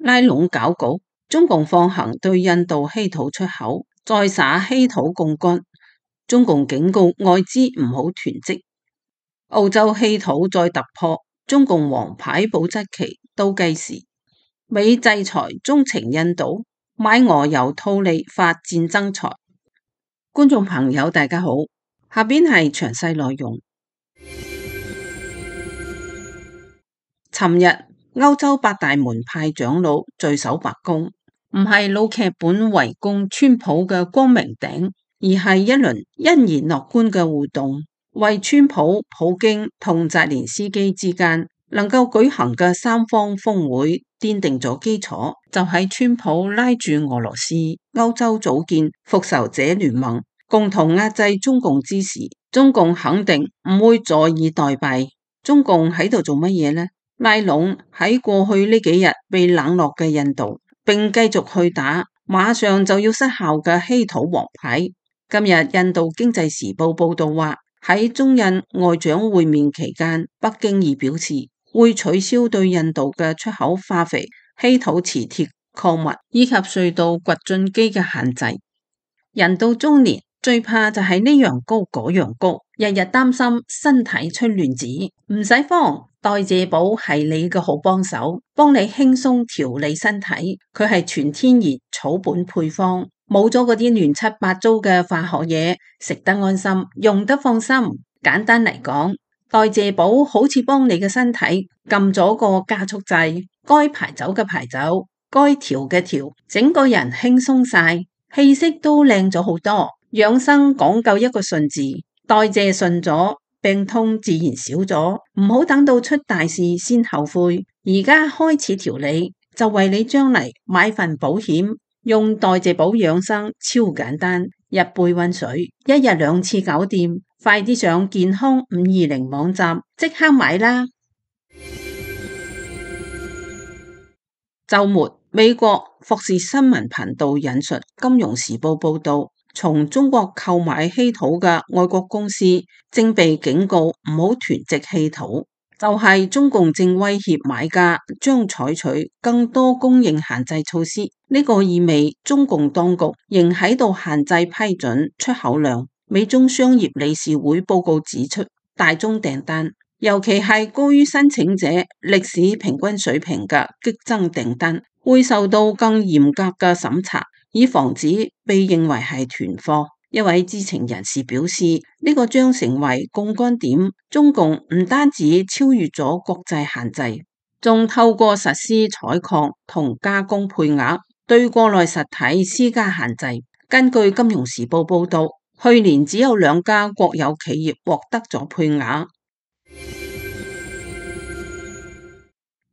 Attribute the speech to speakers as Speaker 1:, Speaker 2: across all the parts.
Speaker 1: 拉攏搞局，中共放行對印度稀土出口，再撒稀土槓桿。中共警告外資唔好囤積。澳洲稀土再突破，中共王牌保質期倒計時。美制裁中情印度，買俄油套利發戰爭財。觀眾朋友大家好，下邊係詳細內容。尋日歐洲八大門派長老聚首白宮，唔係老劇本圍攻川普嘅光明頂，而係一輪欣然樂觀嘅互動，為川普、普京同澤連斯基之間能夠舉行嘅三方峰會奠定咗基礎。就喺川普拉住俄羅斯、歐洲組建復仇者聯盟，共同壓制中共之時，中共肯定唔會坐以待斃。中共喺度做乜嘢呢？拉攏喺過去呢幾日被冷落嘅印度，並繼續去打馬上就要失效嘅稀土王牌。今日印度經濟時報報道話，喺中印外長會面期間，北京已表示會取消對印度嘅出口化肥、稀土磁鐵礦物以及隧道掘進機嘅限制。人到中年最怕就係呢樣高嗰樣高，日日擔心身體出亂子。唔使慌，代謝寶係你嘅好幫手，幫你輕鬆調理身體。佢係全天然草本配方，冇咗嗰啲亂七八糟嘅化學嘢，食得安心，用得放心。簡單嚟講，代謝寶好似幫你嘅身體撳咗個加速掣，該排走嘅排走，該調嘅調，整個人輕鬆晒，氣色都靚咗好多。養生講究一個順字，代謝順咗，病痛自然少咗。唔好等到出大事先後悔，而家開始調理，就為你將嚟買份保險。用代謝寶養生超簡單，一杯溫水，一日2次搞掂。快啲上健康520網站，即刻買啦！週末，美國霍士新聞頻道引述《金融時報》報道，從中國購買稀土嘅外國公司正被警告唔好囤積稀土，就係中共正威脅買家將採取更多供應限制措施。呢個意味中共當局仍喺度限制批准出口量。美中商業理事會報告指出，大宗訂單，尤其係高於申請者歷史平均水平嘅激增訂單，會受到更嚴格嘅審查，以防止被認為係囤貨。一位知情人士表示，呢個將成為槓桿點，中共唔單止超越咗國際限制，仲透過實施採礦同加工配額，對國內實體施加限制。根據《金融時報》報道，去年只有2家國有企業獲得咗配額。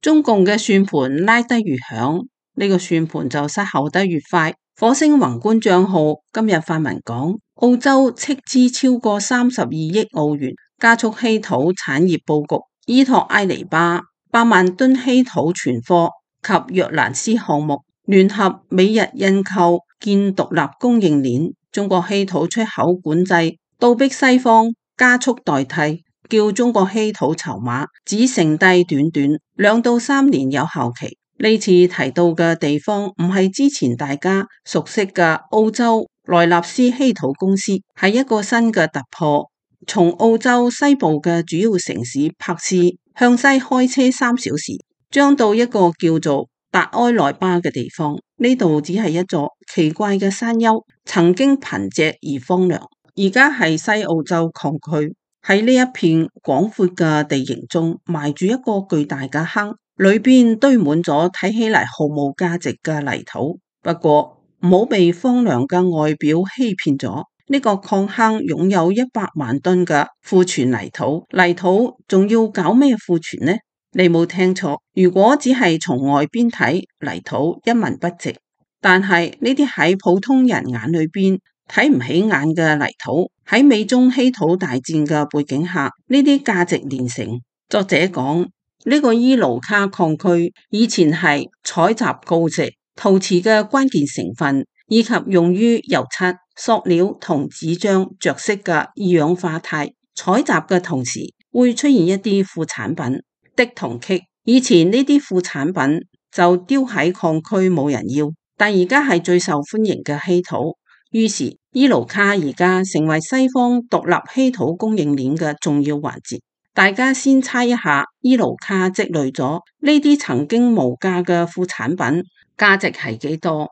Speaker 1: 中共嘅算盤拉得越響，呢個算盤就失效得越快。火星宏觀賬號今日發文講，澳洲斥資超過32億澳元加速稀土產業佈局，依託埃尼巴8萬噸稀土存貨及約蘭斯項目，聯合美日印購建獨立供應鏈。中國稀土出口管制倒逼西方加速代替，叫中國稀土籌碼只剩低短短2到3年有效期。呢次提到嘅地方唔係之前大家熟悉嘅澳洲萊納斯稀土公司，係一個新嘅突破。從澳洲西部嘅主要城市珀斯向西開車3小時，將到一個叫做達埃萊巴嘅地方。呢度只係一座奇怪嘅山丘，曾經貧瘠而荒涼，而家係西澳洲礦區。喺呢一片廣闊嘅地形中，埋住一個巨大嘅坑，裏邊堆滿咗睇起嚟毫無價值嘅泥土。不過唔好被荒涼嘅外表欺騙咗，呢個礦坑擁有100萬噸嘅庫存泥土。泥土仲要搞咩庫存呢？你冇聽錯，如果只係從外邊睇，泥土一文不值。但係呢啲喺普通人眼裏邊睇唔起眼嘅泥土，喺美中稀土大戰嘅背景下，呢啲價值連城。作者講，呢個伊盧卡礦區以前係採集鋯石、陶瓷嘅關鍵成分，以及用於油漆、塑料同紙張着色嘅二氧化鈦。採集嘅同時會出現一啲副產品。銫同鋅，以前呢啲副產品就丟喺礦區冇人要，但而家係最受歡迎嘅稀土。於是伊盧卡而家成為西方獨立稀土供應鏈嘅重要環節。大家先猜一下，伊盧卡積累咗呢啲曾經無價嘅副產品，價值係幾多？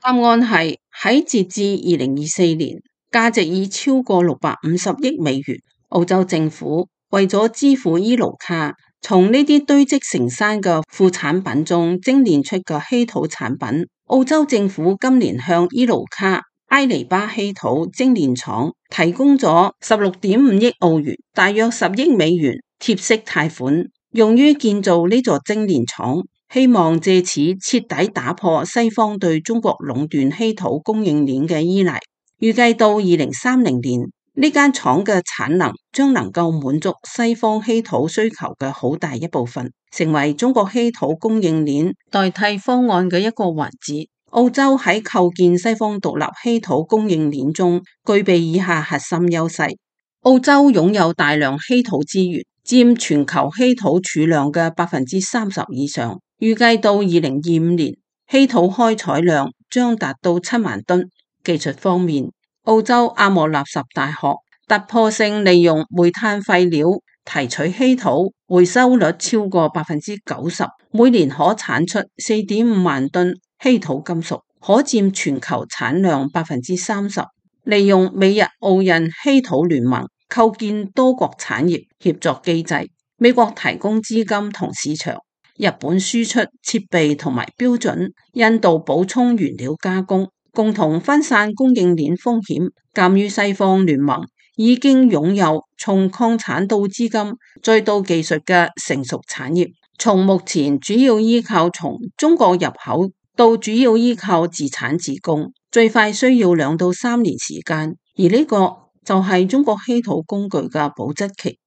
Speaker 1: 答案係喺截至2024年，價值已超過650億美元。澳洲政府為咗支付伊盧卡，從呢啲堆積成山嘅副產品中精煉出嘅稀土產品，澳洲政府今年向伊盧卡埃尼巴稀土精煉廠提供咗16.5億澳元，大約10億美元貼息貸款，用於建造呢座精煉廠，希望借此徹底打破西方對中國壟斷稀土供應鏈嘅依賴。預計到2030年，呢間廠嘅產能將能夠滿足西方稀土需求嘅好大一部分，成為中國稀土供應鏈代替方案嘅一個環節。澳洲喺構建西方獨立稀土供應鏈中具備以下核心優勢：澳洲擁有大量稀土資源，佔全球稀土儲量嘅30%以上。預計到2025年，稀土開採量將達到7萬噸。技術方面，澳洲阿莫納什大學突破性利用煤炭廢料提取稀土，回收率超過90%，每年可產出4.5萬噸稀土金屬，可佔全球產量30%。利用美日澳印稀土聯盟構建多國產業協作機制，美國提供資金同市場，日本輸出設備同埋標準，印度補充原料加工，共同分散供應鏈風險。鑑於西方聯盟已經擁有從礦產到資金再到技術嘅成熟產業，從目前主要依靠從中國入口到主要依靠自產自供，最快需要2到3年時間，而呢個就係中國稀土工具嘅保質期。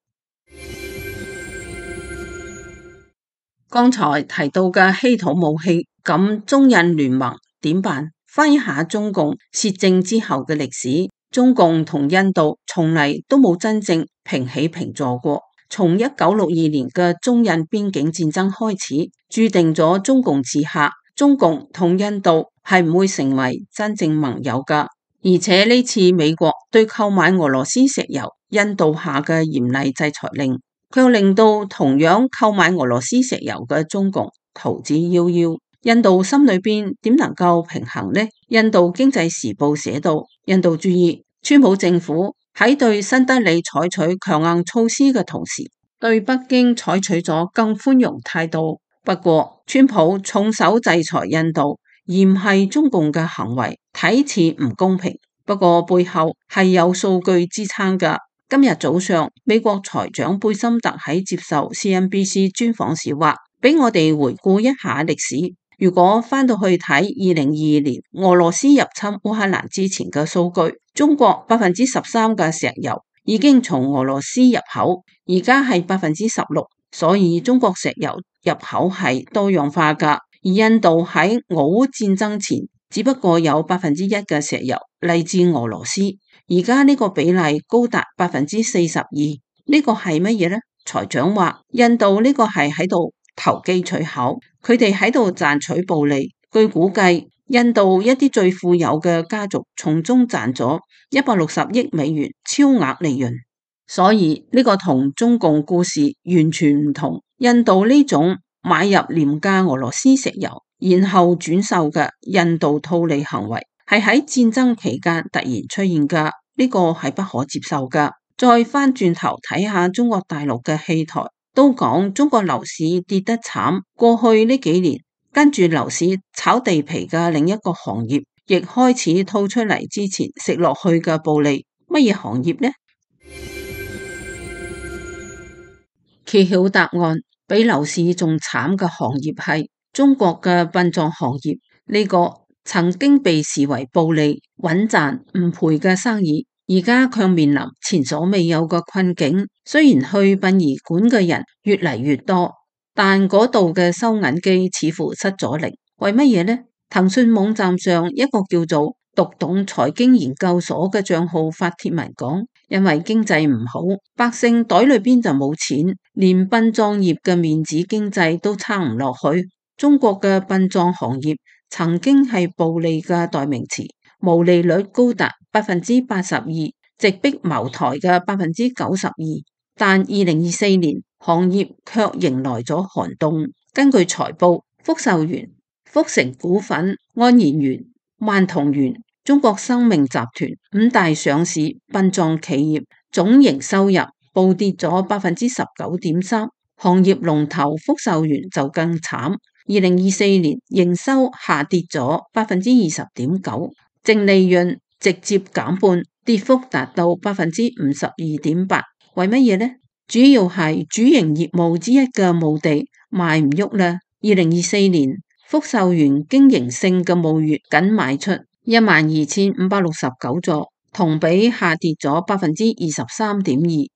Speaker 1: 剛才提到嘅稀土武器，咁中印聯盟點辦？翻一下中共竊政之後嘅歷史，中共同印度從嚟都冇真正平起平坐過。從1962年嘅中印邊境戰爭開始，注定咗中共此下，中共同印度係唔會成為真正盟友噶。而且呢次美國對購買俄羅斯石油，印度下嘅嚴厲制裁令，卻令到同樣購買俄羅斯石油嘅中共逃之夭夭。印度心裏邊點能夠平衡呢？印度經濟時報寫道，印度注意，川普政府喺對新德里採取強硬措施嘅同時，對北京採取咗更寬容態度。不過，川普重手制裁印度，而唔係中共嘅行為，睇似唔公平。不過背後係有數據支撐㗎。今日早上，美國財長貝森特喺接受 CNBC 專訪時話，俾我哋回顧一下歷史。如果翻到去睇2022年俄羅斯入侵烏克蘭之前嘅數據，中國13%嘅石油已經從俄羅斯入口，而家係16%，所以中國石油入口係多樣化㗎。而印度喺俄烏戰爭前只不過有1%嘅石油嚟自俄羅斯，而家呢個比例高達42%，呢個係乜嘢呢？財長話印度呢個係喺度投機取巧，佢哋喺度賺取暴利。據估計，印度一啲最富有嘅家族從中賺咗160億美元超額利潤。所以呢個同中共故事完全唔同。印度呢種買入廉價俄羅斯石油，然後轉售嘅印度套利行為，係喺戰爭期間突然出現㗎，呢個係不可接受㗎。再翻轉頭睇下中國大陸嘅戲台，都講中國樓市跌得慘，過去呢幾年跟住樓市炒地皮嘅另一個行業，亦開始吐出嚟之前食落去嘅暴利。乜嘢行業呢？揭曉答案，比樓市仲慘嘅行業係中國嘅殯葬行業。呢個曾經被視為暴利、穩賺唔賠嘅生意，而家卻面臨前所未有嘅困境。雖然去殯儀館嘅人越嚟越多，但嗰度嘅收銀機似乎失咗靈。為乜嘢呢？騰訊網站上一個叫做讀懂財經研究所嘅賬號發帖文講，因為經濟唔好，百姓袋裏邊就冇錢，連殯葬業嘅面子經濟都撐唔落去。中國嘅殯葬行業曾經係暴利嘅代名詞，毛利率高達82%，直逼茅台嘅92%。但2024年行業卻迎來咗寒冬。根據財報，福壽園、福成股份、安然園、萬同園、中國生命集團五大上市殯葬企業總營收入暴跌咗19.3%，行業龍頭福壽園就更慘。2024年營收下跌咗20.9%，淨利潤直接減半，跌幅達到52.8%。為乜嘢呢？主要係主營業務之一嘅墓地賣唔喐啦。2024年福壽園經營性嘅墓穴僅賣出12,569座，同比下跌咗23.2%。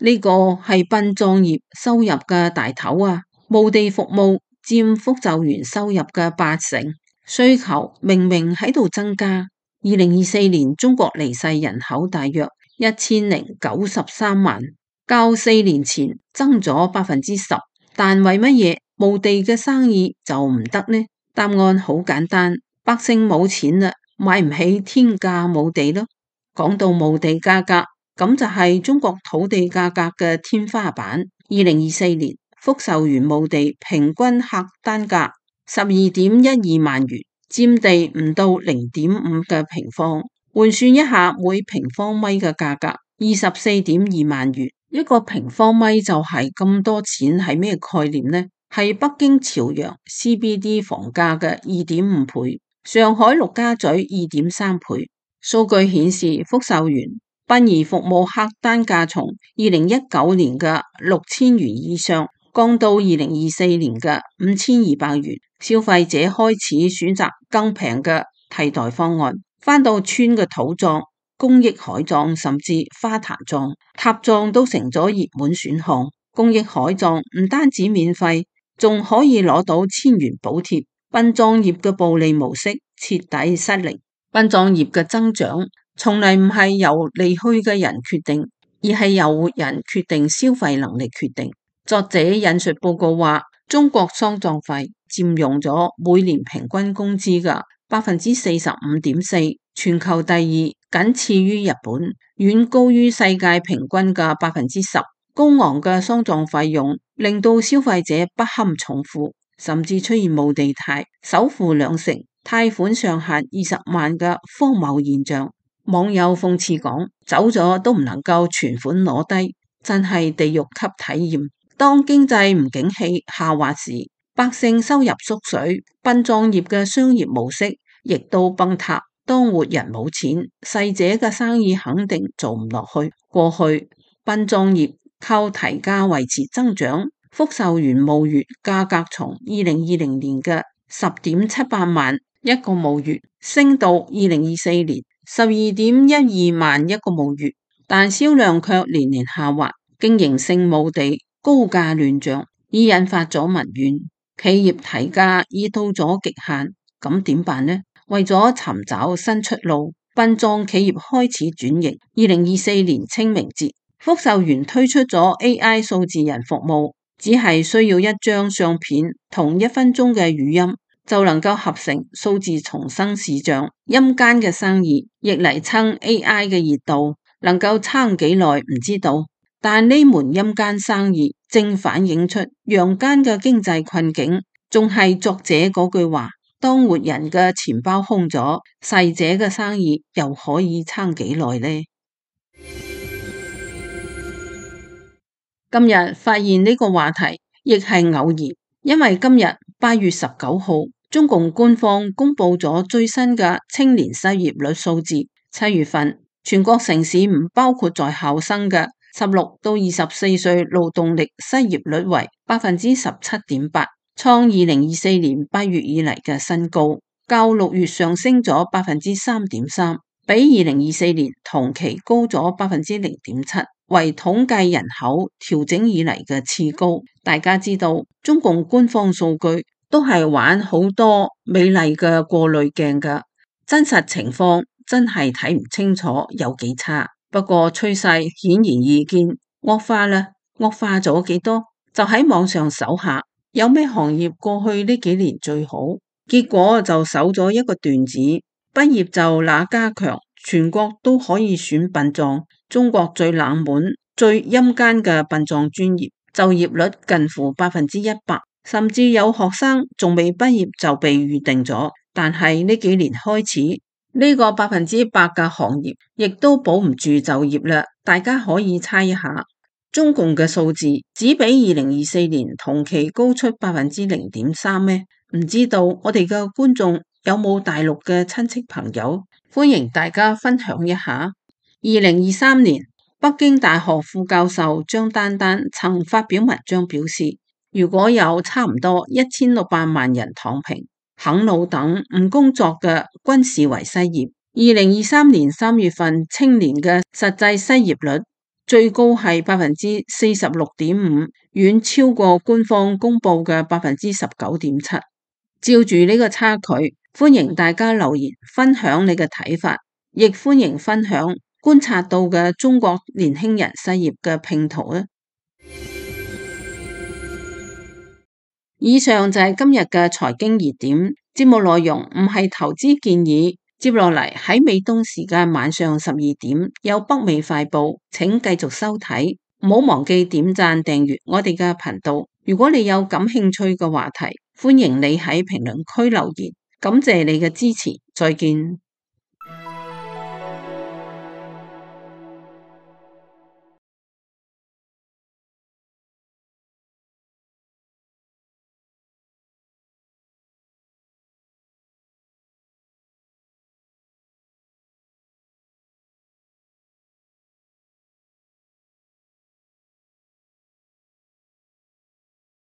Speaker 1: 呢個係殯葬業收入嘅大頭啊！墓地服務佔福壽園收入嘅80%，需求明明喺度增加。2024年中國離世人口大約1093萬，較4年前增咗10%，但為乜嘢墓地嘅生意就唔得呢？答案好簡單，百姓冇錢啦，買唔起天價墓地咯。講到墓地價格，咁就係中國土地價格嘅天花板。2024年福壽園墓地平均客單價12.12萬元，佔地唔到0.5嘅平方，換算一下每平方米嘅價格24.2萬元。一個平方米就係咁多錢，係咩概念呢？係北京朝陽 CBD 房價嘅2.5倍，上海陸家嘴2.3倍。數據顯示，福壽園殯儀服務客單價從2019年嘅6000元以上降到2024年嘅5200元，消費者開始選擇更平嘅替代方案，返到村嘅土葬、公益海葬甚至花壇葬、塔葬都成咗熱門選項。公益海葬唔單止免費，仲可以攞到1000元補貼。殯葬業嘅暴利模式徹底失靈。殯葬業嘅增長從嚟唔係由離去嘅人決定，而係由人決定消費能力決定。作者引述報告話，中國喪葬費佔用咗每年平均工資嘅45.4%，全球第二，僅次於日本，遠高於世界平均嘅10%。高昂嘅喪葬費用令到消費者不堪重負，甚至出現無地貸、首付兩成、貸款上限20萬嘅荒謬現象。網友諷刺講：走咗都唔能夠存款攞低，真係地獄級體驗。當經濟唔景氣下滑時，百姓收入縮水，殯葬業嘅商業模式亦都崩塌。當活人冇錢，逝者嘅生意肯定做唔落去。過去殯葬業靠提價維持增長，福壽園墓穴價格從2020年嘅10.78萬一個墓穴升到2024年12.12萬一個墓穴，但銷量卻年年下滑，經營性墓地高價亂漲，已引發咗民怨。企業提價已到咗極限，咁點辦呢？為咗尋找新出路，殯葬企業開始轉型。2024年清明節，福壽園推出咗 AI 數字人服務，只係需要一張相片同1分鐘嘅語音，就能夠合成數字重生視像。陰間嘅生意亦嚟蹭 AI 嘅熱度，能夠撐幾耐唔知道，但呢門陰間生意正反映出陽間嘅經濟困境。仲係作者嗰句話：當活人嘅錢包空咗，逝者嘅生意又可以撐幾耐呢？今日發現呢個話題亦係偶然，因為今日8月19號，中共官方公布咗最新嘅青年失業率數字。7月份全國城市唔包括在校生嘅16到24歲勞動力失業率為17.8%，創2024年8月以嚟嘅新高，較6月上升咗3.3%，比2024年同期高咗0.7%。為統計人口調整以嚟嘅次高。大家知道中共官方數據都係玩好多美麗嘅過濾鏡㗎，真實情況真係睇唔清楚有幾差。不過趨勢顯然易見，惡化啦，惡化咗幾多？就喺網上搜下有咩行業過去呢幾年最好？結果就搜咗一個段子，畢業就哪家強，全國都可以選殯葬。中國最冷門、最陰間嘅殯葬專業，就業率近乎100%，甚至有學生仲未畢業就被預定咗。但係呢幾年開始，呢個100%嘅行業亦都保唔住就業啦。大家可以猜一下，中共嘅數字只比2024年同期高出0.3%咩？唔知道我哋嘅觀眾有冇大陸嘅親戚朋友？歡迎大家分享一下。2023年，北京大學副教授張丹丹曾發表文章表示，如果有差唔多1600萬人躺平、啃老等唔工作嘅，均視為失業。2023年3月份青年嘅實際失業率最高係46.5%，遠超過官方公布嘅19.7%。照住呢個差距，歡迎大家留言分享你嘅睇法，亦歡迎分享觀察到嘅中國年輕人失業嘅拼圖啊！以上就係今日嘅財經熱點，節目內容唔係投資建議。接落嚟喺美東時間晚上12點有北美快報，請繼續收睇，唔好忘記點讚訂閱我哋嘅頻道。如果你有感興趣嘅話題，歡迎你喺評論區留言，感謝你嘅支持，再見。